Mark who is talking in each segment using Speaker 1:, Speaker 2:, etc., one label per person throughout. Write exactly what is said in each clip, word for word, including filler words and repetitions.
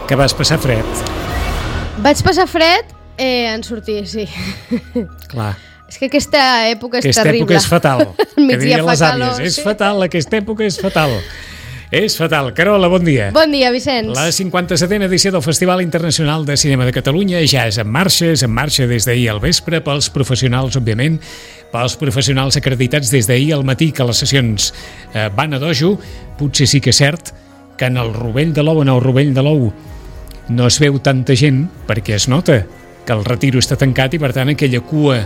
Speaker 1: Que vas passar fred.
Speaker 2: Vaig passar fred eh, en sortir, sí.
Speaker 1: Clar.
Speaker 2: És que aquesta època és
Speaker 1: aquesta
Speaker 2: terrible.
Speaker 1: Aquesta època és fatal.
Speaker 2: Que
Speaker 1: dirien les
Speaker 2: calor,
Speaker 1: àvies. És
Speaker 2: sí.
Speaker 1: fatal, aquesta època és fatal. És fatal. Carola, bon dia.
Speaker 2: Bon dia, Vicenç.
Speaker 1: La cinquanta-setena edició del Festival Internacional de Cinema de Catalunya ja és en marxa, és en marxa des d'ahir al vespre pels professionals, òbviament, pels professionals acreditats des d'ahir al matí que les sessions eh, van a dojo. Potser sí que és cert que en el Rovell de l'Ou, en el Rovell de l'Ou, no es veu tanta gent perquè es nota que el Retiro està tancat i, per tant, aquella cua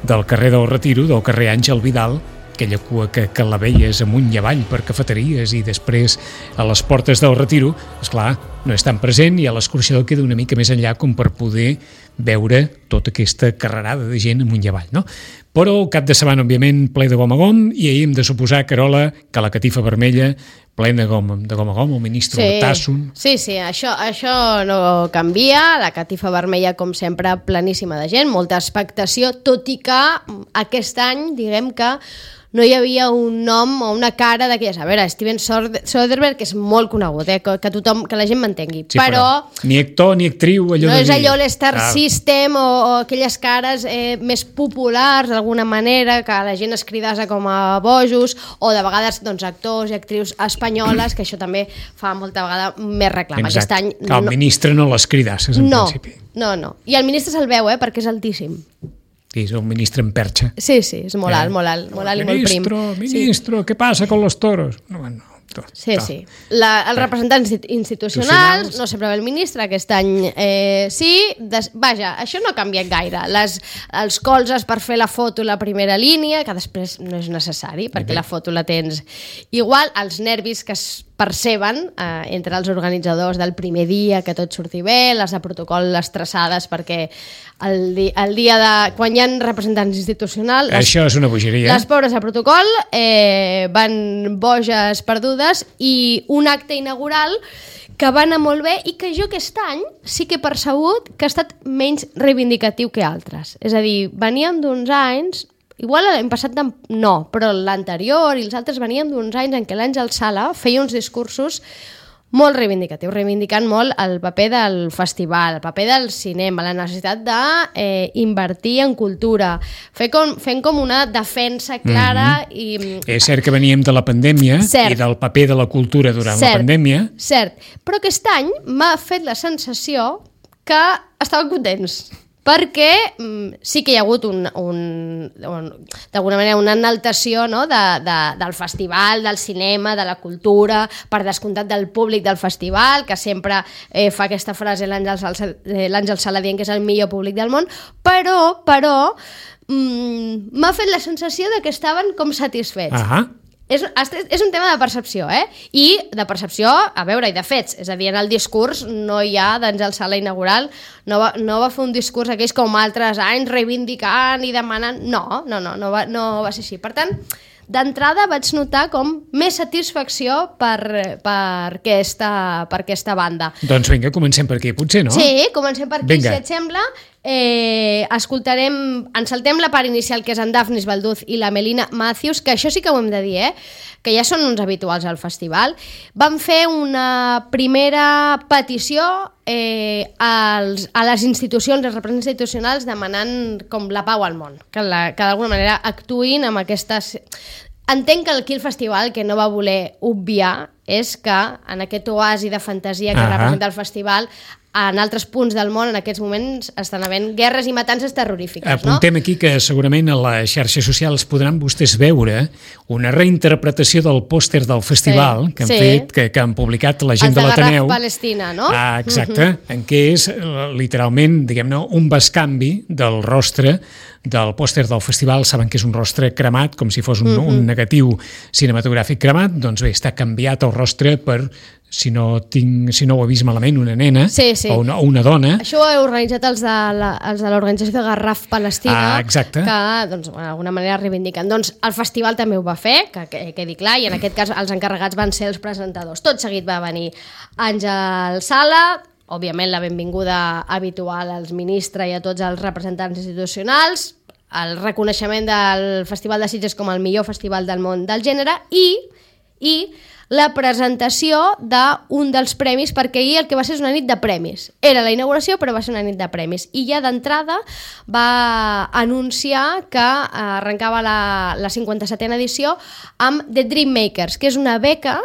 Speaker 1: del carrer del Retiro, del carrer Àngel Vidal, aquella cua que, que la veies amunt i avall per cafeteries i després a les portes del Retiro, esclar, no és tan present i a l'escorxador queda una mica més enllà com per poder veure tota aquesta carrerada de gent amunt i avall, no? Però cap de setmana, òbviament, ple de gom a gom, i ahir hem de suposar, Carola, que la catifa vermella plena de gom, de gom a gom, el ministre
Speaker 2: sí.
Speaker 1: Urtasun.
Speaker 2: Sí, sí, això, això no canvia, la catifa vermella, com sempre, pleníssima de gent, molta expectació, tot i que aquest any, diguem que no hi havia un nom o una cara d'aquelles. A veure, Steven Soderbergh és molt conegut, eh? que, que tothom, que la gent m'entengui,
Speaker 1: sí,
Speaker 2: però,
Speaker 1: però ni actor ni actriu, allò
Speaker 2: no
Speaker 1: de
Speaker 2: és
Speaker 1: dir.
Speaker 2: allò l'Star
Speaker 1: ah.
Speaker 2: System o, o aquelles cares eh, més populars d'alguna manera, que la gent es cridassa com a bojos, o de vegades doncs, actors i actrius espanyoles, que això també fa molta vegada més reclam.
Speaker 1: Exacte.
Speaker 2: Aquest any
Speaker 1: que el
Speaker 2: no...
Speaker 1: ministre no les cridasses, en
Speaker 2: no,
Speaker 1: principi.
Speaker 2: No, no. I el ministre se'l veu, eh, perquè és altíssim.
Speaker 1: Sí, és un ministre en perxa.
Speaker 2: Sí, sí, és molt alt, molt alt, molt alt i molt prim.
Speaker 1: Ministro, ministro, sí. ¿Qué pasa con los toros? No, no. Tot,
Speaker 2: sí,
Speaker 1: tot.
Speaker 2: sí. La, els representants institucionals, no sempre ve el ministre, aquest any eh, sí. Des, vaja, això no ha canviat gaire. Les, els colzes per fer la foto la primera línia, que després no és necessari, perquè okay. la foto la tens igual, els nervis que es perceben eh, entre els organitzadors del primer dia, que tot surti bé, les de protocol, les traçades, perquè el, di el dia de... quan hi ha representants institucionals... Les,
Speaker 1: això és una bogeria.
Speaker 2: Les pobres de protocol eh, van boges perdudes i un acte inaugural que va anar molt bé i que jo aquest any sí que he percebut que ha estat menys reivindicatiu que altres. És a dir, veníem d'uns anys... Igual l'any passat no, però l'anterior i els altres veníem d'uns anys en què l'Àngel Sala feia uns discursos molt reivindicatius, reivindicant molt el paper del festival, el paper del cinema, la necessitat d'invertir eh, en cultura, fer com, fent com una defensa clara. Mm-hmm. i...
Speaker 1: És cert que veníem de la pandèmia
Speaker 2: cert.
Speaker 1: I del paper de la cultura durant
Speaker 2: cert,
Speaker 1: la pandèmia.
Speaker 2: Cert, però aquest any m'ha fet la sensació que estaven contents. Perquè mm, sí que hi ha hagut un, un, un, d'alguna manera una enaltació, no? de, de, del festival, del cinema, de la cultura, per descomptat del públic del festival, que sempre eh, fa aquesta frase l'Àngel Sala, eh, l'Àngel Sala dient que és el millor públic del món, però, però mm, m'ha fet la sensació de que estaven com satisfets.
Speaker 1: Ahà.
Speaker 2: És, és un tema de percepció, eh? I de percepció, a veure, i de fets. És a dir, en el discurs no hi ha d'Àngel Sala inaugural, no va, no va fer un discurs aquells com altres anys reivindicant i demanant... No, no, no, no va, no va ser així. Per tant, d'entrada vaig notar com més satisfacció per, per, aquesta, per aquesta banda.
Speaker 1: Doncs vinga, comencem per aquí, potser, no?
Speaker 2: Sí, comencem per aquí,
Speaker 1: vinga.
Speaker 2: Si et sembla. Eh, escoltarem, ens saltem la part inicial, que és en Daphnis Balduz i la Melina Matthews, que això sí que ho hem de dir, eh? Que ja són uns habituals al festival. Van fer una primera petició eh, als, a les institucions, als representants institucionals, demanant com la pau al món, que, la, que d'alguna manera actuïn amb aquestes... Entenc que aquí el festival que no va voler obviar és que en aquest oasi de fantasia que uh-huh. representa el festival, en altres punts del món en aquests moments estan havent guerres i matances terrorífiques.
Speaker 1: Apuntem
Speaker 2: no?
Speaker 1: aquí que segurament a les xarxes socials podran vostès veure una reinterpretació del pòster del festival sí, que han
Speaker 2: sí.
Speaker 1: fet, que, que han publicat la gent
Speaker 2: de,
Speaker 1: de l'Ateneu.
Speaker 2: El de Garraf Palestina, no?
Speaker 1: Ah, exacte, uh-huh. en què és literalment, diguem-ne, un bescanvi del rostre del pòster del festival. Saben que és un rostre cremat, com si fos un, uh-huh. un negatiu cinematogràfic cremat, doncs bé, està canviat el rostre per, si no, tinc, si no ho he vist malament, una nena
Speaker 2: sí, sí.
Speaker 1: o una, una dona.
Speaker 2: Això ho he organitzat els de, la, els de l'organització de Garraf Palestina,
Speaker 1: ah, exacte.
Speaker 2: que doncs, d'alguna manera reivindiquen. Doncs el festival també ho va fer, que, que quedi clar, i en aquest cas els encarregats van ser els presentadors. Tot seguit va venir Àngel Sala, òbviament la benvinguda habitual als ministres i a tots els representants institucionals, el reconeixement del Festival de Sitges com el millor festival del món del gènere i, i la presentació d'un dels premis, perquè ahir el que va ser és una nit de premis. Era la inauguració, però va ser una nit de premis. I ja d'entrada va anunciar que arrencava la, la cinquanta-setena edició amb The Dream Makers, que és una beca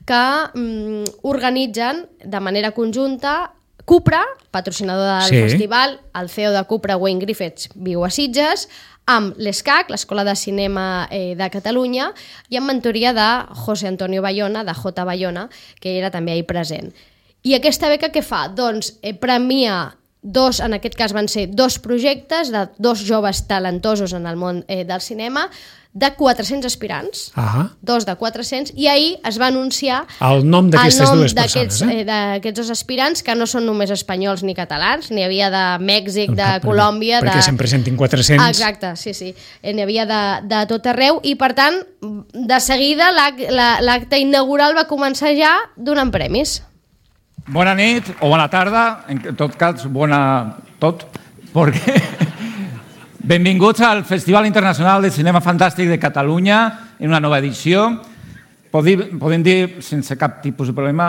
Speaker 2: que mm, organitzen de manera conjunta Cupra, patrocinador del sí. festival, el C E O de Cupra, Wayne Griffiths, viu a Sitges, amb l'ESCAC, l'Escola de Cinema eh, de Catalunya, i amb mentoria de José Antonio Bayona, de J. Bayona, que era també ahir present. I aquesta beca què fa? Doncs eh, premia dos, en aquest cas van ser dos projectes de dos joves talentosos en el món eh, del cinema, de quatre-cents aspirants, uh-huh. dos de quatre-cents, i ahir es va anunciar
Speaker 1: el nom d'aquestes dues persones.
Speaker 2: Eh? D'aquests dos aspirants, que no són només espanyols ni catalans, n'hi havia de Mèxic, de perquè, Colòmbia...
Speaker 1: Perquè
Speaker 2: de...
Speaker 1: se'n presentin quatre-cents.
Speaker 2: Exacte, sí, sí. N'hi havia de, de tot arreu, i per tant, de seguida l'acte inaugural va començar ja donant premis.
Speaker 3: Bona nit o bona tarda, en tot cas, bona tot, perquè... Benvinguts al Festival Internacional de Cinema Fantàstic de Catalunya en una nova edició. Podem dir, sense cap tipus de problema,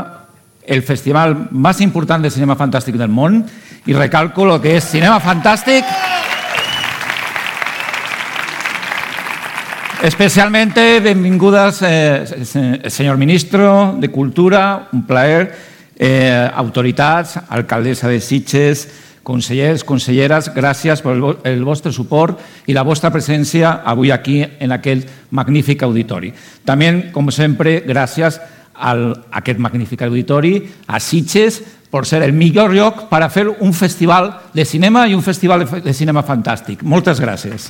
Speaker 3: el festival més important de cinema fantàstic del món, i recalco el que és cinema fantàstic. Especialmente benvingudas, eh, señor ministro de Cultura, un plaer, eh, autoritats, alcaldessa de Sitges, consellers, conselleres, gràcies per el vostre suport i la vostra presència avui aquí en aquest magnífic auditori. També, com sempre, gràcies a aquest magnífic auditori, a Sitges, per ser el millor lloc per a fer un festival de cinema i un festival de cinema fantàstic. Moltes gràcies.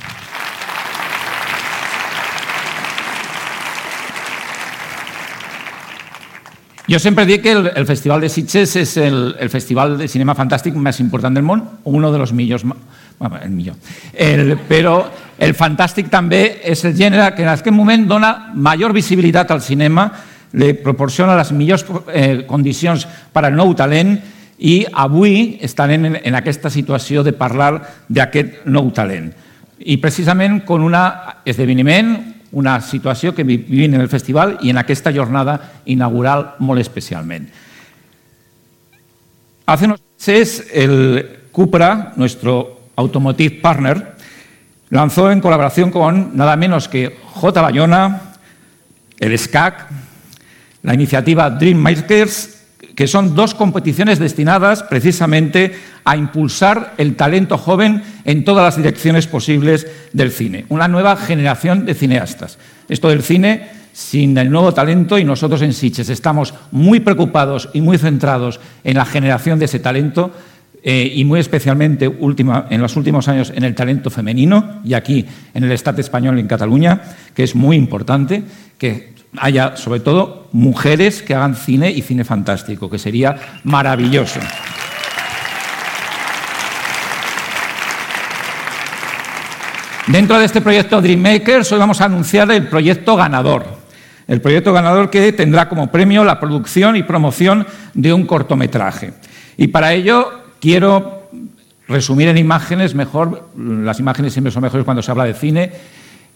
Speaker 3: Jo sempre dic que el, el Festival de Sitges és el, el festival de cinema fantàstic més important del món, uno de los millors, bueno, el millor. El, però el fantàstic també és el gènere que en aquest moment dona major visibilitat al cinema, li proporciona les millors eh, condicions per al nou talent, i avui estarem en, en aquesta situació de parlar d'aquest nou talent. I precisament con un esdeveniment, una situació que vivim en el festival i en aquesta jornada inaugural molt especialment. Hace unos meses el Cupra, nuestro automotive partner, lanzó en colaboración con nada menos que J. Bayona, el ESCAC, la iniciativa Dream Makers, que son dos competiciones destinadas precisamente a impulsar el talento joven en todas las direcciones posibles del cine. Una nueva generación de cineastas. Esto del cine sin el nuevo talento, y nosotros en Sitges estamos muy preocupados y muy centrados en la generación de ese talento, eh, y muy especialmente última, en los últimos años en el talento femenino, y aquí en el Estado español, en Cataluña, que es muy importante que haya, sobre todo, mujeres que hagan cine y cine fantástico, que sería maravilloso. Dentro de este proyecto Dream Makers, hoy vamos a anunciar el proyecto ganador. El proyecto ganador que tendrá como premio la producción y promoción de un cortometraje. Y para ello quiero resumir en imágenes, mejor, las imágenes siempre son mejores cuando se habla de cine,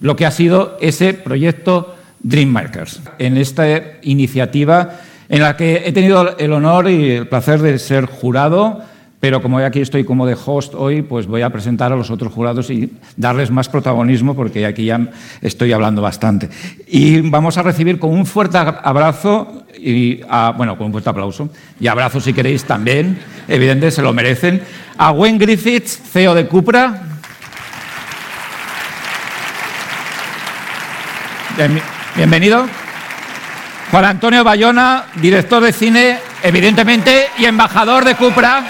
Speaker 3: lo que ha sido ese proyecto Dream Makers, en esta iniciativa en la que he tenido el honor y el placer de ser jurado, pero como aquí estoy como de host hoy, pues voy a presentar a los otros jurados y darles más protagonismo, porque aquí ya estoy hablando bastante. Y vamos a recibir con un fuerte abrazo, y a, bueno, con un fuerte aplauso, y abrazo si queréis también, evidentemente se lo merecen, a Wayne Griffiths, C E O de Cupra. Bienvenido. Juan Antonio Bayona, director de cine, evidentemente, y embajador de Cupra.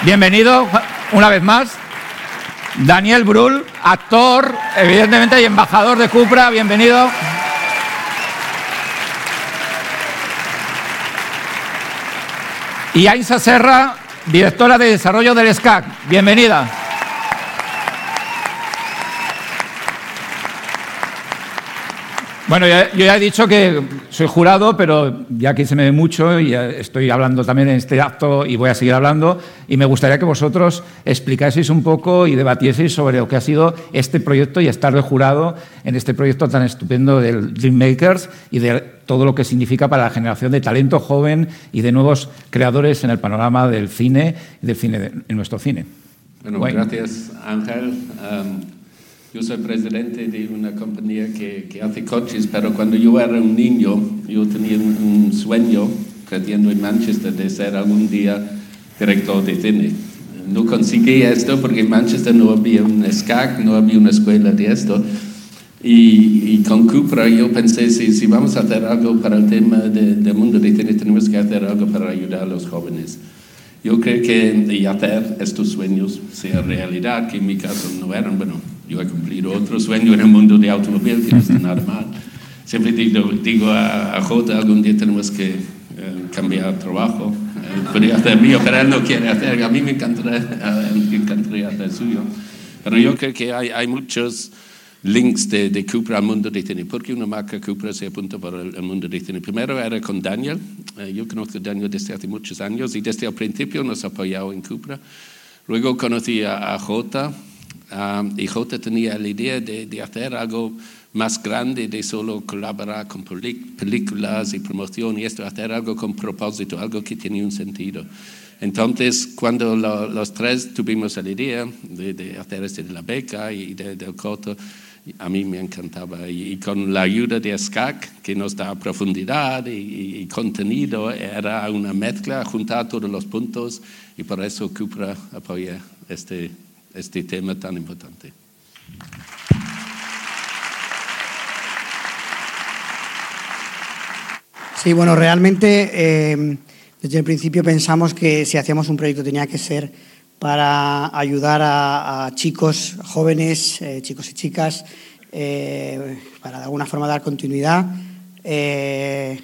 Speaker 3: Bienvenido una vez más. Daniel Brühl, actor, evidentemente, y embajador de Cupra. Bienvenido. Y Ainsa Serra, directora de desarrollo del ESCAC. Bienvenida. Bueno, ya, yo ya he dicho que soy jurado, pero ya aquí se me ve mucho y estoy hablando también en este acto y voy a seguir hablando, y me gustaría que vosotros explicaseis un poco y debatieseis sobre lo que ha sido este proyecto y estar de jurado en este proyecto tan estupendo del Dreammakers y de todo lo que significa para la generación de talento joven y de nuevos creadores en el panorama del cine y del cine de, en nuestro cine.
Speaker 4: Bueno, bueno. Gracias, Ángel. Um, Yo soy presidente de una compañía que, que hace coches, pero cuando yo era un niño, yo tenía un, un sueño, creciendo en Manchester, de ser algún día director de cine. No conseguí esto porque en Manchester no había un S C A C, no había una escuela de esto. Y, y con Cupra yo pensé, si, si vamos a hacer algo para el tema de, del mundo de cine, tenemos que hacer algo para ayudar a los jóvenes. Yo creo que y hacer estos sueños sean realidad, que en mi caso no eran, bueno, yo he cumplido otro sueño en el mundo de automóvil, que no está nada mal. Siempre digo, digo a, a Jota, algún día tenemos que eh, cambiar trabajo. Eh, podría hacer mío, pero él no quiere hacer. A mí me encantaría, eh, me encantaría hacer suyo. Pero yo creo que hay, hay muchos links de, de Cupra al mundo de cine. ¿Por qué una marca Cupra se apunta para el, el mundo de cine? Primero era con Daniel. Eh, yo conozco a Daniel desde hace muchos años y desde el principio nos ha apoyado en Cupra. Luego conocí a, a Jota. Um, y Jota tenía la idea de, de hacer algo más grande, de solo colaborar con películas y promoción, y esto, hacer algo con propósito, algo que tenía un sentido. Entonces, cuando lo, los tres tuvimos la idea de, de hacer este de la beca y de, del corto, a mí me encantaba. Y, y con la ayuda de S C A C, que nos da profundidad y, y contenido, era una mezcla, juntar todos los puntos, y por eso Cupra apoya este este tema tan importante.
Speaker 5: Sí, bueno, realmente eh, desde el principio pensamos que si hacíamos un proyecto tenía que ser para ayudar a, a chicos, jóvenes, eh, chicos y chicas, eh, para de alguna forma dar continuidad. Eh,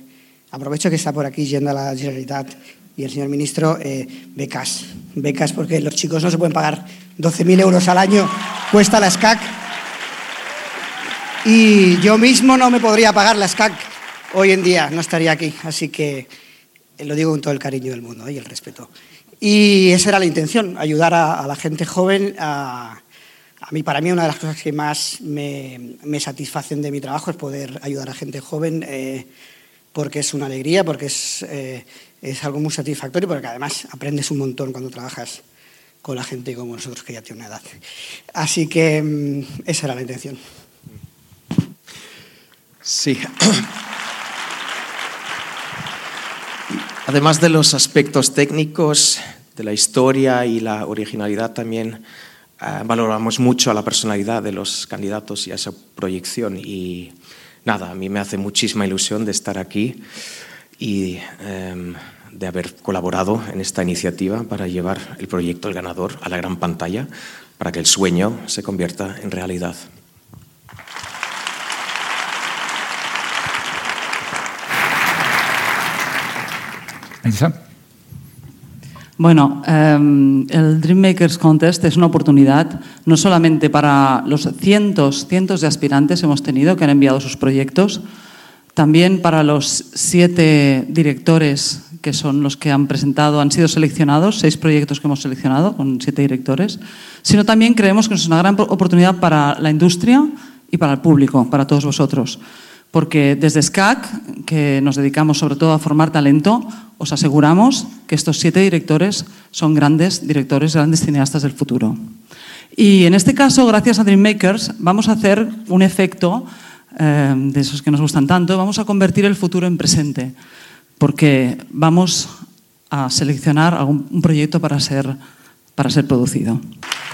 Speaker 5: aprovecho que está por aquí yendo a la Generalitat y el señor ministro, eh, becas. Becas porque los chicos no se pueden pagar doce mil euros al año, cuesta la S C A C. Y yo mismo no me podría pagar la S C A C hoy en día, no estaría aquí. Así que eh, lo digo con todo el cariño del mundo, ¿eh? Y el respeto. Y esa era la intención, ayudar a, a la gente joven. A, a mí, para mí, una de las cosas que más me, me satisfacen de mi trabajo es poder ayudar a gente joven, eh, porque es una alegría, porque es... Eh, Es algo muy satisfactorio porque además aprendes un montón cuando trabajas con la gente como nosotros que ya tiene una edad. Así que esa era la intención.
Speaker 6: Sí. Además de los aspectos técnicos, de la historia y la originalidad, también eh, valoramos mucho a la personalidad de los candidatos y a esa proyección. Y nada, a mí me hace muchísima ilusión de estar aquí y eh, de haber colaborado en esta iniciativa para llevar el proyecto El Ganador a la gran pantalla, para que el sueño se convierta en realidad.
Speaker 3: Elisa.
Speaker 7: Bueno, eh, el Dreammakers Contest es una oportunidad no solamente para los cientos, cientos de aspirantes hemos tenido que han enviado sus proyectos, también para los siete directores que son los que han presentado, han sido seleccionados, seis proyectos que hemos seleccionado con siete directores, sino también creemos que es una gran oportunidad para la industria y para el público, para todos vosotros. Porque desde S C A C, que nos dedicamos sobre todo a formar talento, os aseguramos que estos siete directores son grandes directores, grandes cineastas del futuro. Y en este caso, gracias a Dreammakers, vamos a hacer un efecto eh, de esos que nos gustan tanto, vamos a convertir el futuro en presente, porque vamos a seleccionar algún, un proyecto para ser, para ser producido.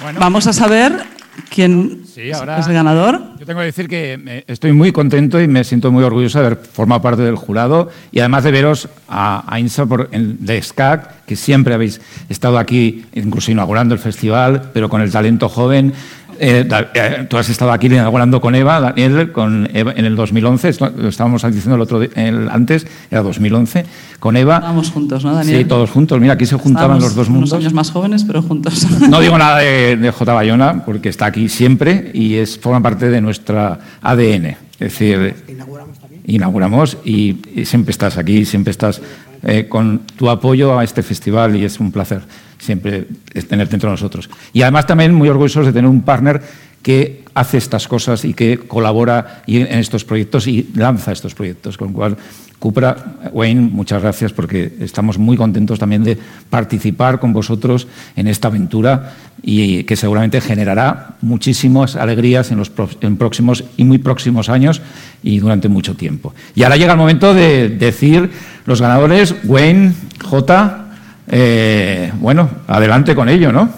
Speaker 7: Bueno. Vamos a saber quién sí, ahora es el ganador.
Speaker 3: Yo tengo que decir que estoy muy contento y me siento muy orgulloso de haber formado parte del jurado y además de veros a, a INSA por, en, de S C A C, que siempre habéis estado aquí, incluso inaugurando el festival, pero con el talento joven. Eh, eh, tú has estado aquí inaugurando con Eva, Daniel, con Eva, en el dos mil once, esto, lo estábamos diciendo el otro el, antes, era dos mil once, con Eva.
Speaker 7: Estábamos juntos, ¿no, Daniel?
Speaker 3: Sí, todos juntos. Mira, aquí se juntaban
Speaker 7: Estábamos
Speaker 3: los dos mundos.
Speaker 7: Unos años más jóvenes, pero juntos.
Speaker 3: No digo nada de, de J. Bayona, porque está aquí siempre y es, forma parte de nuestra A D N. Es decir,
Speaker 5: inauguramos también.
Speaker 3: Inauguramos y, y siempre estás aquí, siempre estás eh, con tu apoyo a este festival y es un placer siempre tenerte entre nosotros. Y además también muy orgullosos de tener un partner que hace estas cosas y que colabora en estos proyectos y lanza estos proyectos. Con lo cual, Cupra, Wayne, muchas gracias porque estamos muy contentos también de participar con vosotros en esta aventura y que seguramente generará muchísimas alegrías en los en próximos y muy próximos años y durante mucho tiempo. Y ahora llega el momento de decir los ganadores. Wayne, J, eh, bueno, adelante con ello, ¿no?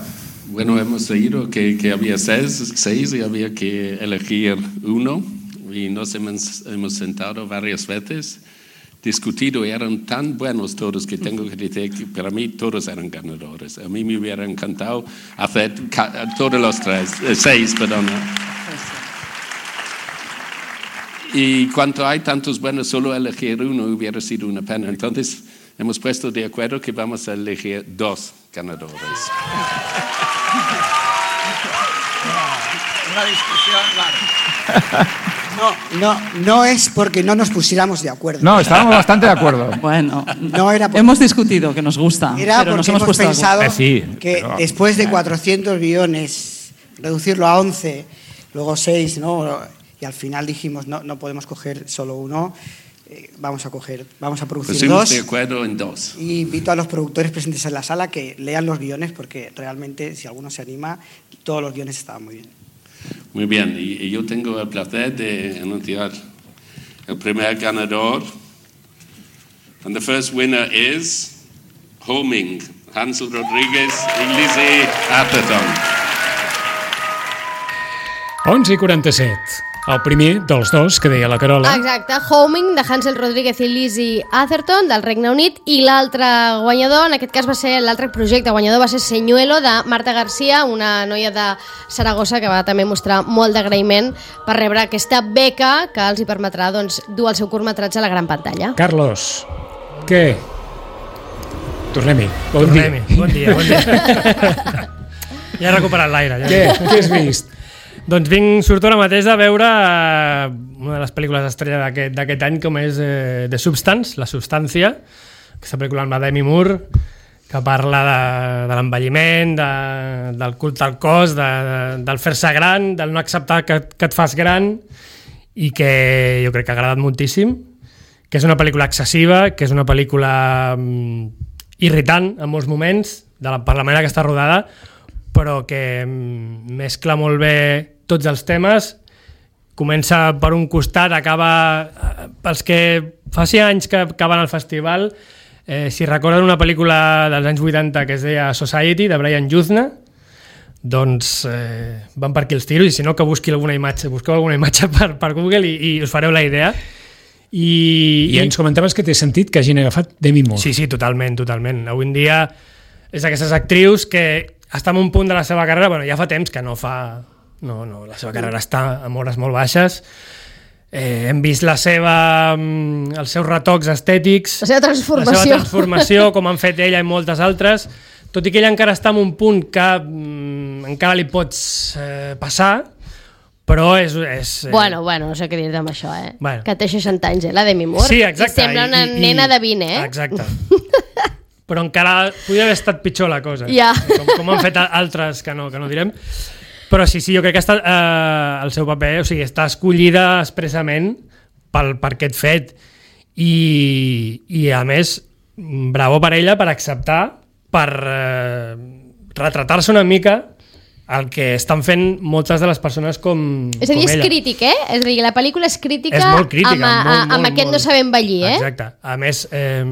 Speaker 4: Bueno, hemos oído que, que había seis, seis y había que elegir uno y nos hemos, hemos sentado varias veces, discutido y eran tan buenos todos que tengo que decir que para mí todos eran ganadores. A mí me hubiera encantado hacer todos los tres, eh, seis, perdón. Y cuando hay tantos buenos, solo elegir uno hubiera sido una pena. Entonces hemos puesto de acuerdo que vamos a elegir dos ganadores.
Speaker 5: Una discusión, claro. No, no, no es porque no nos pusiéramos de acuerdo.
Speaker 3: No, estábamos bastante de acuerdo.
Speaker 7: Bueno,
Speaker 5: no era porque,
Speaker 7: hemos discutido que nos gusta,
Speaker 5: era
Speaker 7: pero
Speaker 5: porque
Speaker 7: nos hemos,
Speaker 5: hemos
Speaker 7: puesto
Speaker 5: pensado
Speaker 3: eh, sí,
Speaker 5: que
Speaker 3: pero,
Speaker 5: después de
Speaker 3: eh.
Speaker 5: cuatrocientos guiones, reducirlo a once, luego seis, ¿no? Y al final dijimos, no, no podemos coger solo uno, eh, vamos a coger, vamos a producir
Speaker 4: Pusimos
Speaker 5: dos.
Speaker 4: de acuerdo en dos.
Speaker 5: Y invito a los productores presentes en la sala que lean los guiones porque realmente, si alguno se anima, todos los guiones estaban muy bien.
Speaker 4: Muy bien, y, y yo tengo el placer de anunciar el primer ganador. And the first winner is Homing, Hansel Rodríguez y Lizzie Atherton.
Speaker 1: onze i quaranta-set. El primer dels dos que deia la Carola.
Speaker 2: Exacte, Homing, de Hansel Rodríguez i Lizzie Atherton, del Regne Unit, i l'altre guanyador, en aquest cas va ser l'altre projecte guanyador, va ser Señuelo, de Marta García, una noia de Saragossa que va també mostrar molt d'agraïment per rebre aquesta beca que els hi permetrà doncs, dur el seu curtmetratge a la gran pantalla.
Speaker 1: Carlos, què? Tornem-hi. Bon
Speaker 8: Tornem-hi.
Speaker 1: dia.
Speaker 8: Bon dia, bon dia. Ja he recuperat l'aire. Ja.
Speaker 1: Què? Què has vist?
Speaker 8: Doncs vinc, surto ara mateix de veure eh, una de les pel·lícules estrella d'aquest d'aquest any, com és eh, The Substance, La Substància, aquesta pel·lícula amb la Demi Moore, que parla de, de l'envelliment, de, del culte al cos, de, de, del fer-se gran, del no acceptar que, que et fas gran, i que jo crec que ha agradat moltíssim, que és una pel·lícula excessiva, que és una pel·lícula mm, irritant en molts moments, de la, per la manera que està rodada, però que mm, mescla molt bé tots els temes, comença per un costat, acaba pels que fa sis anys que, que van al festival, eh, si recorden una pel·lícula dels anys vuitanta que es deia Society, de Brian Yuzna, doncs eh, van per aquí els tiros, i si no que busqui alguna imatge, busqueu alguna imatge per, per Google i, i us fareu la idea. I,
Speaker 1: I ens comentaves que té sentit que hagin agafat Demi Moore.
Speaker 8: Sí, sí, totalment, totalment. Avui en dia és d'aquestes actrius que està en un punt de la seva carrera, bueno, ja fa temps que no fa... No, no, la seva carrera està amb hores molt baixes. Eh, hem vist la seva, els seus retocs estètics,
Speaker 2: La seva transformació.
Speaker 8: la seva transformació, com han fet ella i moltes altres, tot i que ella encara està en un punt que mm, encara li pots eh, passar, però és... és eh...
Speaker 2: Bueno, bueno, no sé què dir-te amb això, eh?
Speaker 8: Bueno.
Speaker 2: Que té seixanta anys, eh, la Demi Moore.
Speaker 8: Sí, exacte.
Speaker 2: I sembla una
Speaker 8: I, i,
Speaker 2: nena de vint, eh?
Speaker 8: Exacte. Però encara podria haver estat pitjor la cosa,
Speaker 2: Ja.
Speaker 8: com, com han fet altres que no, que no direm. Però sí, sí, jo crec que està, eh, el seu paper, o sigui, està escollida expressament pel, per aquest fet. I, i a més, bravo per ella per acceptar, per eh, retratar-se una mica el que estan fent moltes de les persones com,
Speaker 2: És a dir,
Speaker 8: com
Speaker 2: és
Speaker 8: ella.
Speaker 2: crític, eh? És a dir, la pel·lícula és crítica,
Speaker 8: És molt crítica,
Speaker 2: amb, a,
Speaker 8: molt, molt,
Speaker 2: amb aquest
Speaker 8: molt.
Speaker 2: no saber envellir, eh?
Speaker 8: Exacte. A més, eh,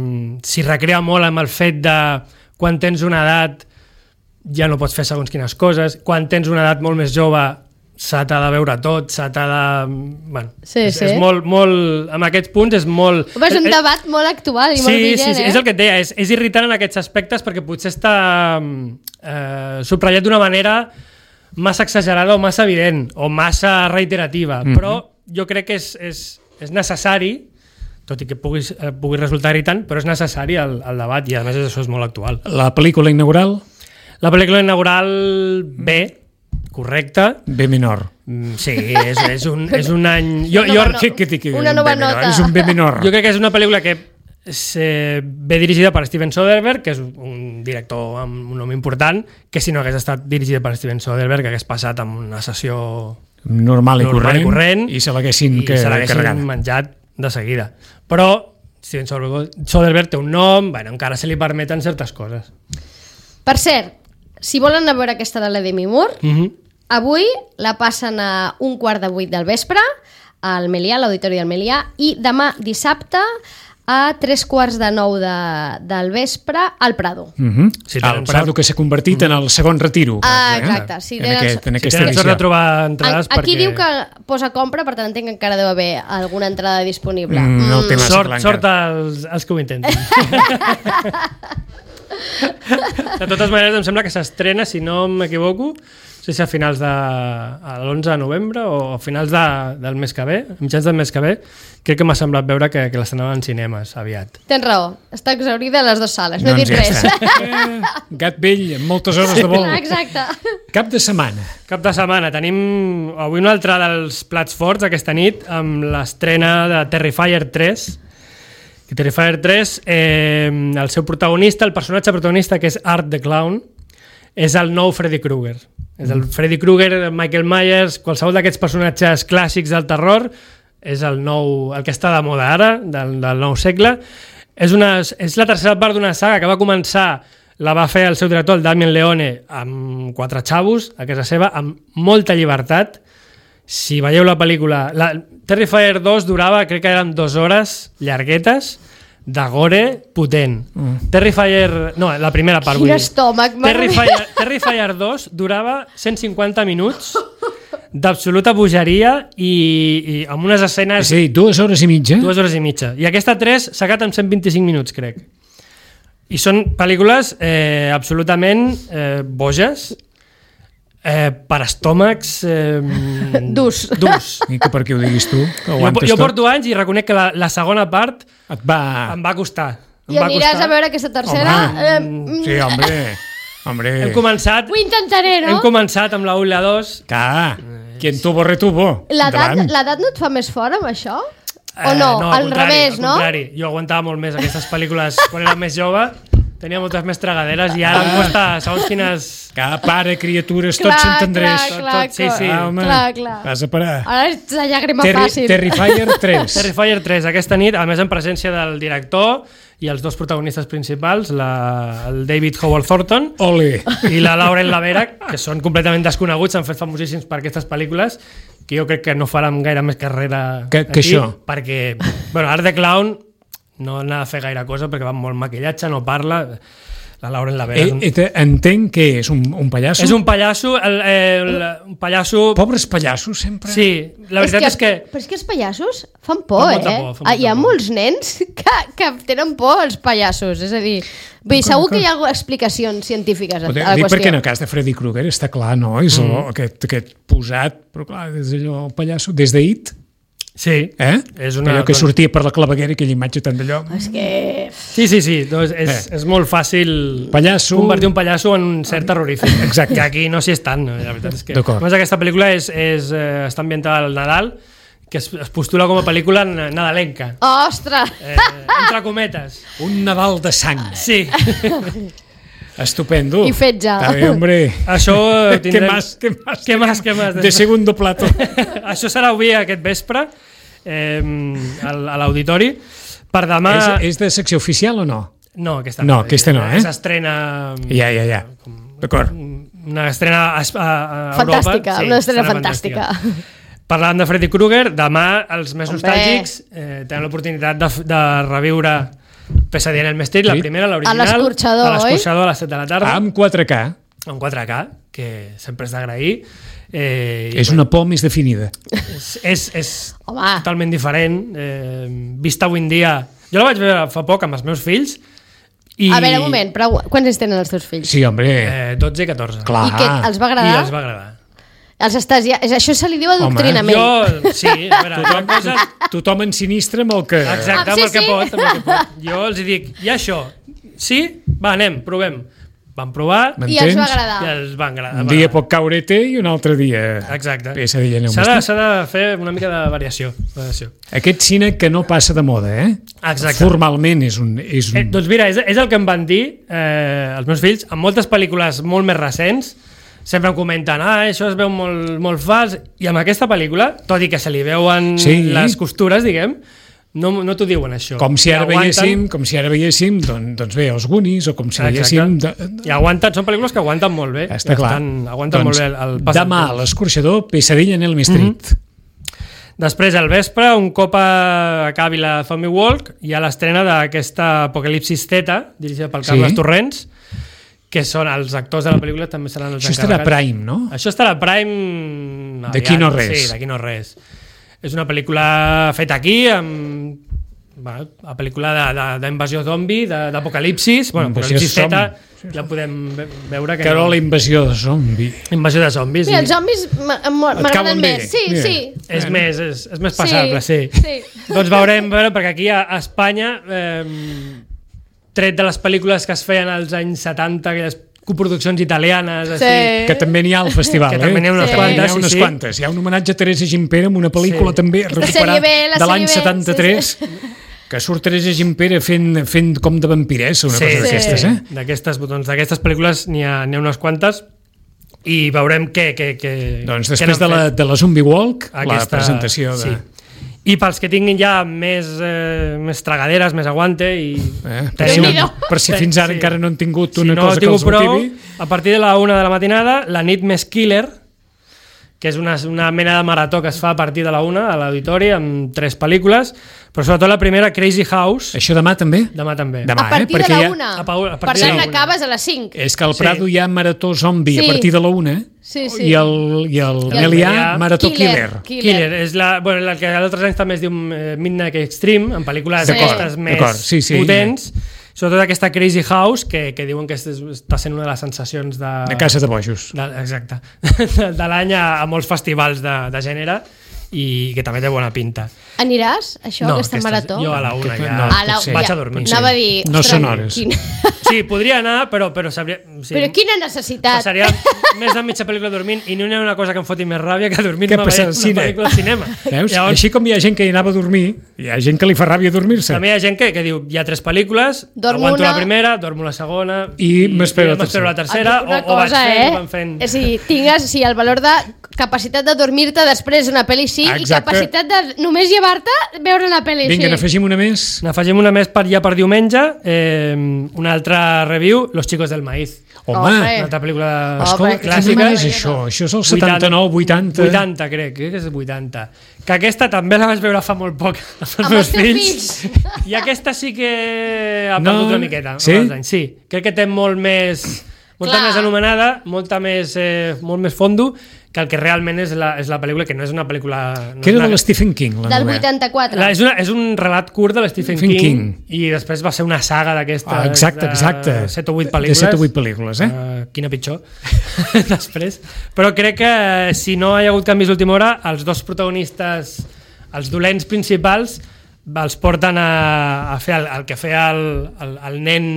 Speaker 8: s'hi recrea molt amb el fet de quan tens una edat ja no pots fer segons quines coses, quan tens una edat molt més jove se t'ha de veure tot, se t'ha de... Bueno,
Speaker 2: Sí,
Speaker 8: és,
Speaker 2: sí.
Speaker 8: és molt, molt... En aquests punts és molt...
Speaker 2: Home, és un debat molt actual i
Speaker 8: sí,
Speaker 2: molt vigent,
Speaker 8: sí, sí,
Speaker 2: eh?
Speaker 8: és el que et deia, és, és irritant en aquests aspectes perquè potser està eh, subratllat d'una manera massa exagerada o massa evident o massa reiterativa, mm-hmm. però jo crec que és, és, és necessari, tot i que pugui, eh, pugui resultar irritant, però és necessari el, el debat i a més això és molt actual.
Speaker 1: La pel·lícula inaugural?
Speaker 8: La pel·lícula inaugural B, correcte.
Speaker 1: B menor.
Speaker 8: Sí, és, és, un, és un any... Jo,
Speaker 2: Una
Speaker 8: jo,
Speaker 2: nova
Speaker 1: Què, què, què,
Speaker 2: Una nova
Speaker 1: B menor?
Speaker 2: nota.
Speaker 1: És un B menor.
Speaker 8: jo crec que és una pel·lícula que és, eh, ve dirigida per Steven Soderbergh, que és un director amb un nom important, que si no hagués estat dirigida per Steven Soderbergh hagués passat amb una sessió
Speaker 1: Normal i
Speaker 8: normal
Speaker 1: corrent,
Speaker 8: i corrent
Speaker 1: i se l'haguessin
Speaker 8: i
Speaker 1: que-
Speaker 8: se l'haguessin
Speaker 1: carregat.
Speaker 8: menjat de seguida. Però Steven Soderbergh, Soderbergh té un nom, bueno, encara se li permeten certes coses.
Speaker 2: Per cert, si volen anar a veure aquesta de la Demi Moore,
Speaker 8: Mm -hmm.
Speaker 2: avui la passen a un quart de vuit del vespre al Melià, a l'Auditori del Melià, i demà dissabte a tres quarts de nou de, del vespre al Prado.
Speaker 1: Uh -huh.
Speaker 8: Si
Speaker 1: el
Speaker 8: tenen
Speaker 1: Prado
Speaker 8: sort.
Speaker 1: que s'ha convertit en el segon retiro.
Speaker 2: Ah,
Speaker 1: eh?
Speaker 2: exacte, si
Speaker 1: en,
Speaker 2: tenen
Speaker 1: aquest,
Speaker 2: sort.
Speaker 1: en
Speaker 8: Si
Speaker 1: aquesta
Speaker 8: tenen sort
Speaker 1: edició.
Speaker 8: de trobar entrades
Speaker 2: Aquí
Speaker 8: perquè...
Speaker 2: diu que posa compra, per tant entenc que encara deu haver alguna entrada disponible.
Speaker 1: Mm, no té massa
Speaker 8: Sort,
Speaker 1: clar
Speaker 8: sort
Speaker 1: encara.
Speaker 8: als, als que ho intenten. De totes maneres, em sembla que s'estrena, si no m'equivoco, no sé si a finals de a l'onze de novembre o a finals de, del mes que ve, mitjans del mes que ve, crec que m'ha semblat veure que, que l'estrenaven en cinemes aviat.
Speaker 2: Tens raó, està exhaurida a les dues sales, no he
Speaker 1: Doncs
Speaker 2: dit
Speaker 1: ja
Speaker 2: res.
Speaker 1: està. Eh, gat vell, amb moltes hores de vol.
Speaker 2: Exacte.
Speaker 1: Cap de setmana.
Speaker 8: Cap de setmana tenim avui un altre dels plats forts aquesta nit amb l'estrena de Terrifier tres. Que Terrifier tres, eh, el seu protagonista, el personatge protagonista, que és Art the Clown, és el nou Freddy Krueger. És el Freddy Krueger, Michael Myers, qualsevol d'aquests personatges clàssics del terror, és el nou, el que està de moda ara, del, del nou segle. És, una, és la tercera part d'una saga que va començar, la va fer el seu director, el Damien Leone, amb quatre xavos a casa seva, amb molta llibertat. Si veieu la pel·lícula... La, Terrifier dos durava, crec que eren dues hores llarguetes, de gore potent. Mm. Terrifier... No, la primera part,
Speaker 2: Quin
Speaker 8: vull dir.
Speaker 2: estómac, mare
Speaker 8: Terrifier, Terrifier dos durava cent cinquanta minuts d'absoluta bogeria i, i amb unes escenes...
Speaker 1: És a dir, dues hores i mitja.
Speaker 8: Dues hores i mitja. I aquesta tres s'ha quedat amb cent vint-i-cinc minuts, crec. I són pel·lícules eh, absolutament eh, boges, eh, per estómacs... Eh,
Speaker 2: Durs.
Speaker 8: Durs.
Speaker 1: I que per què ho diguis tu? Que
Speaker 8: Jo,
Speaker 1: aguantes
Speaker 8: jo
Speaker 1: tot?
Speaker 8: porto anys i reconec que la, la segona part
Speaker 1: Et va...
Speaker 8: em va costar. Em
Speaker 2: I
Speaker 8: va
Speaker 2: aniràs
Speaker 8: costar.
Speaker 2: a veure aquesta tercera?
Speaker 1: Home,
Speaker 2: Eh,
Speaker 1: sí, hombre. Hombre.
Speaker 8: Hem començat,
Speaker 2: Ho intentaré, no?
Speaker 8: hem començat amb la u i la dos.
Speaker 1: Clar, quien tuvo retuvo.
Speaker 2: L'edat
Speaker 1: Endavant.
Speaker 2: l'edat no et fa més fort amb això? O
Speaker 8: Eh,
Speaker 2: no?
Speaker 8: al
Speaker 2: Al
Speaker 8: contrari,
Speaker 2: revés,
Speaker 8: al
Speaker 2: no?
Speaker 8: contrari. Jo aguantava molt més aquestes pel·lícules quan era més jove, tenia moltes més tragaderes i ara em costa, segons quines...
Speaker 1: Que pare, criatures, tot
Speaker 2: Clar,
Speaker 1: s'entendreix.
Speaker 2: clar, clar,
Speaker 8: tot, sí, sí.
Speaker 1: Ah, home,
Speaker 2: Clar, clar.
Speaker 1: vas a parar.
Speaker 2: Ara ets la llàgrima
Speaker 1: Terri
Speaker 2: fàcil.
Speaker 1: Terrifier tres.
Speaker 8: Terrifier tres, aquesta nit, a més en presència del director i els dos protagonistes principals, la, el David Howard Thornton
Speaker 1: Ole.
Speaker 8: i la Lauren Lavera, que són completament desconeguts, s'han fet famosíssims per aquestes pel·lícules, que jo crec que no faran gaire més carrera
Speaker 1: Que- que
Speaker 8: aquí,
Speaker 1: això.
Speaker 8: perquè, bueno, Art the Clown no n'ha de fer gaire cosa perquè va amb molt maquillatge, no parla. La Lauren Lavera és un,
Speaker 1: Eh, eh, entenc que és un, un pallasso.
Speaker 8: és un pallasso, el, el, un pallasso...
Speaker 1: Pobres pallassos, sempre.
Speaker 8: Sí, la veritat és que...
Speaker 2: Però és que els pallassos fan por,
Speaker 8: Fan molta
Speaker 2: eh?
Speaker 8: por, fan
Speaker 2: Ah, hi ha
Speaker 8: molta por.
Speaker 2: molts nens que, que tenen por als pallassos, és a dir... Vull dir, segur que hi ha explicacions científiques a, a la
Speaker 1: Dic
Speaker 2: qüestió.
Speaker 1: perquè en el cas de Freddy Krueger està clar, no? És mm. el, aquest, aquest posat, però clar, des d'allò, el pallasso, des d'It,
Speaker 8: Sí,
Speaker 1: eh?
Speaker 8: és una...
Speaker 1: Allò que sortia per la claveguera, aquella imatge tan d'allò.
Speaker 2: És que...
Speaker 8: Sí, sí, sí, doncs és,
Speaker 1: Eh.
Speaker 8: és molt fàcil
Speaker 1: Pallasso.
Speaker 8: convertir un pallasso en un cert terrorífic.
Speaker 1: Exacte.
Speaker 8: Que aquí no s'hi és tant, no? La veritat és que...
Speaker 1: D'acord.
Speaker 8: A més, aquesta pel·lícula és, és, eh, està ambientada al Nadal, que es, es postula com a pel·lícula na- nadalenca.
Speaker 2: Ostres!
Speaker 8: Eh, entre cometes.
Speaker 1: Un Nadal de sang.
Speaker 8: Sí.
Speaker 1: Estupendo.
Speaker 2: I fet ja.
Speaker 1: Està bé, hombre.
Speaker 8: Això eh,
Speaker 1: ¿Qué
Speaker 8: tindrem...
Speaker 1: más? ¿Qué más?
Speaker 8: Què més, què més?
Speaker 1: De segundo plato.
Speaker 8: Això serà avui aquest vespre eh, al- a l'auditori. Per demà...
Speaker 1: és, és de secció oficial o no?
Speaker 8: No, aquesta
Speaker 1: No, aquesta no, eh?
Speaker 8: S'estrena...
Speaker 1: Ja, ja, ja. D'acord.
Speaker 8: Una estrena a, a, a Europa.
Speaker 2: Fantàstica, una estrena fantàstica.
Speaker 8: Parlant de Freddy Krueger, demà els més
Speaker 2: Hombre.
Speaker 8: nostàlgics eh, tenen l'oportunitat de, de reviure Pesadilla en el Mestre, la
Speaker 1: Sí.
Speaker 8: primera, l'original.
Speaker 2: A l'escorxador,
Speaker 8: a l'escorxador a les set de la tarda.
Speaker 1: Amb quatre K.
Speaker 8: En quatre K, que sempre és d'agrair. Eh, i,
Speaker 1: És una por més definida.
Speaker 8: és, és, és
Speaker 2: Home.
Speaker 8: totalment diferent. Eh, vista avui en dia... Jo la vaig veure fa poc amb els meus fills. I,
Speaker 2: A veure, un moment, però quants anys tenen els teus fills?
Speaker 1: Sí, hombre.
Speaker 8: Eh, dotze i catorze.
Speaker 1: Clar.
Speaker 2: I què, els va agradar?
Speaker 8: I els va agradar.
Speaker 2: Els estàs ja... és- Això se li diu adoctrinament.
Speaker 8: Jo, sí, a veure, hi ha coses...
Speaker 1: Tothom ensinistra amb el que...
Speaker 8: Exacte,
Speaker 2: Ah,
Speaker 8: amb
Speaker 2: sí,
Speaker 8: el que
Speaker 2: sí.
Speaker 8: pot, amb el que pot. Jo els hi dic, i això? Sí? Va, anem, provem. van provar
Speaker 2: i els va agradar.
Speaker 8: I els va agradar.
Speaker 1: Un dia pot caure té i un altre dia
Speaker 8: Exacte.
Speaker 1: pesadilla en el
Speaker 8: S'ha de,
Speaker 1: vestit.
Speaker 8: s'ha de fer una mica de variació. variació.
Speaker 1: Aquest cine que no passa de moda, eh?
Speaker 8: Exacte.
Speaker 1: Formalment és un... És un...
Speaker 8: Eh, doncs mira, és, és el que em van dir eh, els meus fills, en moltes pel·lícules molt més recents, sempre em comenten, ah, això es veu molt, molt fals, i amb aquesta pel·lícula, tot i que se li veuen
Speaker 1: Sí.
Speaker 8: les costures, diguem, no, no t'ho diuen això.
Speaker 1: Com si ara
Speaker 8: I aguanten-
Speaker 1: veiéssim, com si ara veiéssim doncs, doncs bé, els Goonies, o com si veiéssim... De...
Speaker 8: I aguanten, són pel·lícules que aguanten molt bé.
Speaker 1: Està
Speaker 8: I
Speaker 1: clar.
Speaker 8: Estan, aguanten
Speaker 1: doncs,
Speaker 8: molt bé el, el pas del
Speaker 1: demà a
Speaker 8: temps.
Speaker 1: l'escorxador, Pesadilla en Elm Street.
Speaker 8: Mm-hmm. Després, al vespre, un cop acabi la Zombie Walk, hi ha l'estrena d'aquesta Apocalipsis Zeta, dirigida pel
Speaker 1: Sí.
Speaker 8: Carles Torrents, que són els actors de la pel·lícula, també seran els
Speaker 1: Això estarà a
Speaker 8: encarregats.
Speaker 1: Prime, no?
Speaker 8: Això estarà a Prime...
Speaker 1: D'aquí
Speaker 8: aviat,
Speaker 1: no res.
Speaker 8: Sí, d'aquí no res. És una pel·lícula feta aquí, amb... Bueno, la pel·lícula d'invasió zombi, de- d'apocalipsis, bueno,
Speaker 1: Invasió
Speaker 8: apocalipsis
Speaker 1: zombi.
Speaker 8: Z, ja podem ve- veure que...
Speaker 1: Que era la invasió de zombi.
Speaker 8: Invasió de zombis.
Speaker 2: Mira,
Speaker 8: i-
Speaker 2: els zombis m- m- m'agraden
Speaker 1: cauen bé.
Speaker 2: més. Sí,
Speaker 1: Mira.
Speaker 2: sí.
Speaker 8: És
Speaker 1: Bueno.
Speaker 8: més, és, és més passable, sí.
Speaker 2: Sí.
Speaker 8: Doncs veurem, veure, perquè aquí a, a Espanya, eh, tret de les pel·lícules que es feien als anys setanta, aquelles coproduccions italianes,
Speaker 2: Sí.
Speaker 8: així,
Speaker 1: Que també n'hi ha al festival,
Speaker 8: que
Speaker 1: eh?
Speaker 8: també n'hi ha unes
Speaker 2: Sí.
Speaker 8: quantes,
Speaker 1: N'hi ha
Speaker 8: sí,
Speaker 1: unes
Speaker 8: sí.
Speaker 1: quantes. Hi ha un homenatge a Teresa Gimpera amb una pel·lícula
Speaker 8: Sí.
Speaker 1: també
Speaker 2: La sèrie
Speaker 1: recuperada
Speaker 2: B, la
Speaker 1: de l'any
Speaker 2: sèrie B,
Speaker 1: setanta-tres,
Speaker 2: sí,
Speaker 1: que surt Teresa Gimpera fent, fent com de vampiressa, una
Speaker 8: Sí,
Speaker 1: cosa
Speaker 8: sí.
Speaker 1: d'aquestes, eh?
Speaker 8: D'aquestes, doncs, d'aquestes pel·lícules n'hi ha, n'hi ha unes quantes i veurem què... què, què
Speaker 1: Doncs
Speaker 8: què
Speaker 1: després
Speaker 8: n'han
Speaker 1: de la,
Speaker 8: fet.
Speaker 1: de la Zombie Walk, la
Speaker 8: Aquesta-
Speaker 1: presentació de...
Speaker 8: sí. I pels que tinguin ja més, eh, més tragaderes, més aguante i...
Speaker 1: Eh? Per, si,
Speaker 2: Déu-n'hi-do.
Speaker 1: per si fins ara
Speaker 8: Sí.
Speaker 1: encara no han tingut
Speaker 8: Si
Speaker 1: una
Speaker 8: no
Speaker 1: cosa que
Speaker 8: tinc
Speaker 1: els
Speaker 8: prou,
Speaker 1: motivi...
Speaker 8: a partir de la una de la matinada, la nit més killer, que és una, una mena de marató que es fa a partir de la una a l'auditori amb tres pel·lícules, però sobretot la primera, Crazy House,
Speaker 1: Això demà també?
Speaker 8: demà també.
Speaker 1: Demà,
Speaker 2: A partir
Speaker 1: eh?
Speaker 2: de
Speaker 1: Perquè
Speaker 2: la
Speaker 1: ja-
Speaker 2: una.
Speaker 8: A pa- a
Speaker 2: Per
Speaker 8: partir de
Speaker 2: tant,
Speaker 8: la una.
Speaker 2: acabes a les cinc.
Speaker 1: És que al
Speaker 8: Sí.
Speaker 1: Prado hi ha marató zombi
Speaker 2: Sí.
Speaker 1: a partir de la una
Speaker 2: Sí, sí.
Speaker 1: i el, i el
Speaker 2: I el
Speaker 1: Melià
Speaker 8: Melià,
Speaker 1: marató killer.
Speaker 2: Killer.
Speaker 8: Killer, és la, bueno, la que altres anys també es diu eh, Midnight Extreme, en pel·lícules
Speaker 2: D'acord,
Speaker 8: aquestes més
Speaker 1: d'acord, sí, sí.
Speaker 8: potents, sobretot aquesta Crazy House, que, que diuen que és, està sent una de les sensacions de...
Speaker 1: De casa de bojos.
Speaker 8: De, exacte. De, de l'any a, a molts festivals de, de gènere i que també té bona pinta.
Speaker 2: Aniràs, això,
Speaker 8: No,
Speaker 2: aquesta
Speaker 8: aquestes-
Speaker 2: marató?
Speaker 8: jo a la una
Speaker 1: Que-
Speaker 8: ja
Speaker 1: no,
Speaker 2: A la,
Speaker 1: potser.
Speaker 8: vaig a dormir.
Speaker 2: Anava a dir...
Speaker 1: No
Speaker 2: ostres,
Speaker 1: són hores.
Speaker 2: Quin...
Speaker 8: Sí, podria anar, però, però sabria... Sí,
Speaker 2: Però quina necessitat.
Speaker 8: passaria més de mitja pel·lícula dormint i no hi ha una cosa que em foti més ràbia que dormir-me
Speaker 1: Que
Speaker 8: veient
Speaker 1: passar al
Speaker 8: una
Speaker 1: cine.
Speaker 8: pel·lícula al cinema.
Speaker 1: Veus?
Speaker 8: Llavors,
Speaker 1: Així com hi ha gent que hi anava a dormir, hi ha gent que li fa ràbia dormir-se.
Speaker 8: també hi ha gent que, que diu, hi ha tres pel·lícules,
Speaker 2: Dormo
Speaker 8: aguanto
Speaker 2: una-
Speaker 8: la primera, dormo la segona
Speaker 1: I m'espero la
Speaker 8: m'espero la
Speaker 1: tercera.
Speaker 8: tercera,
Speaker 2: Una
Speaker 8: o, o vaig
Speaker 2: cosa,
Speaker 8: fent,
Speaker 2: eh?
Speaker 8: o van fent...
Speaker 2: És a dir, tingues sí, el valor de capacitat de dormir-te després d'una pel·li sí
Speaker 1: Exacte.
Speaker 2: i capacitat de només llevar-te veure una pel·li
Speaker 1: Vinga,
Speaker 2: sí.
Speaker 1: n'afegim una més.
Speaker 8: N'afegim una més per ja per diumenge, eh, una altra review, Los chicos del maíz.
Speaker 1: Home,
Speaker 2: Home.
Speaker 8: Una altra pel·lícula
Speaker 2: Home,
Speaker 1: escolta,
Speaker 8: clàssica.
Speaker 1: quin és això? Això és el setanta-nou, vuitanta...
Speaker 8: vuitanta, crec, crec que és vuitanta. Que aquesta també la vaig veure fa molt poc amb els
Speaker 2: Amb
Speaker 8: meus
Speaker 2: els teus
Speaker 8: fills.
Speaker 2: fills.
Speaker 8: I aquesta sí que ha
Speaker 1: No,
Speaker 8: perdut una miqueta.
Speaker 1: sí?
Speaker 8: amb els anys. Sí, crec que té molt més... Molta
Speaker 2: Clar.
Speaker 8: més anomenada, molta més, eh, molt més fondo que el que realment és la, és la pel·lícula, que no és una pel·lícula... No
Speaker 1: Que
Speaker 8: és
Speaker 1: era
Speaker 8: una,
Speaker 1: de l'Stephen King, la
Speaker 2: Del
Speaker 1: novel·la.
Speaker 2: vuitanta-quatre.
Speaker 8: la, és, una, és un relat curt de l'Stephen
Speaker 1: Stephen
Speaker 8: King,
Speaker 1: King.
Speaker 8: i després va ser una saga d'aquestes
Speaker 1: Ah, exacte, exacte.
Speaker 8: de set o vuit
Speaker 1: De
Speaker 8: pel·lícules.
Speaker 1: set o vuit pel·lícules, eh?
Speaker 8: Uh, quina pitjor després, però crec que eh, si no hi ha hagut canvis d'última hora, els dos protagonistes, els dolents principals, els porten a, a fer el, el que feia el, el, el nen,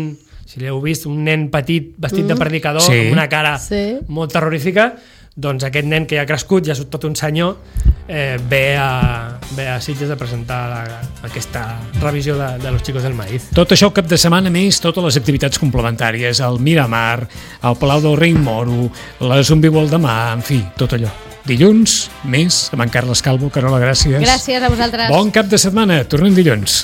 Speaker 8: si l'heu vist, un nen petit vestit mm. de predicador,
Speaker 1: Sí.
Speaker 8: amb una cara
Speaker 2: Sí.
Speaker 8: molt terrorífica, doncs aquest nen que ja ha crescut, ja és tot un senyor, eh, ve, a, ve a Sitges a presentar la, aquesta revisió de, de Los chicos del maíz.
Speaker 1: Tot això el cap de setmana més, totes les activitats complementàries, el Miramar, el Palau del Rei Moro, la Zombie World demà, en fi, tot allò. Dilluns, més, amb en Carles Calvo, Carola, gràcies.
Speaker 2: Gràcies a vosaltres.
Speaker 1: Bon cap de setmana, tornem dilluns.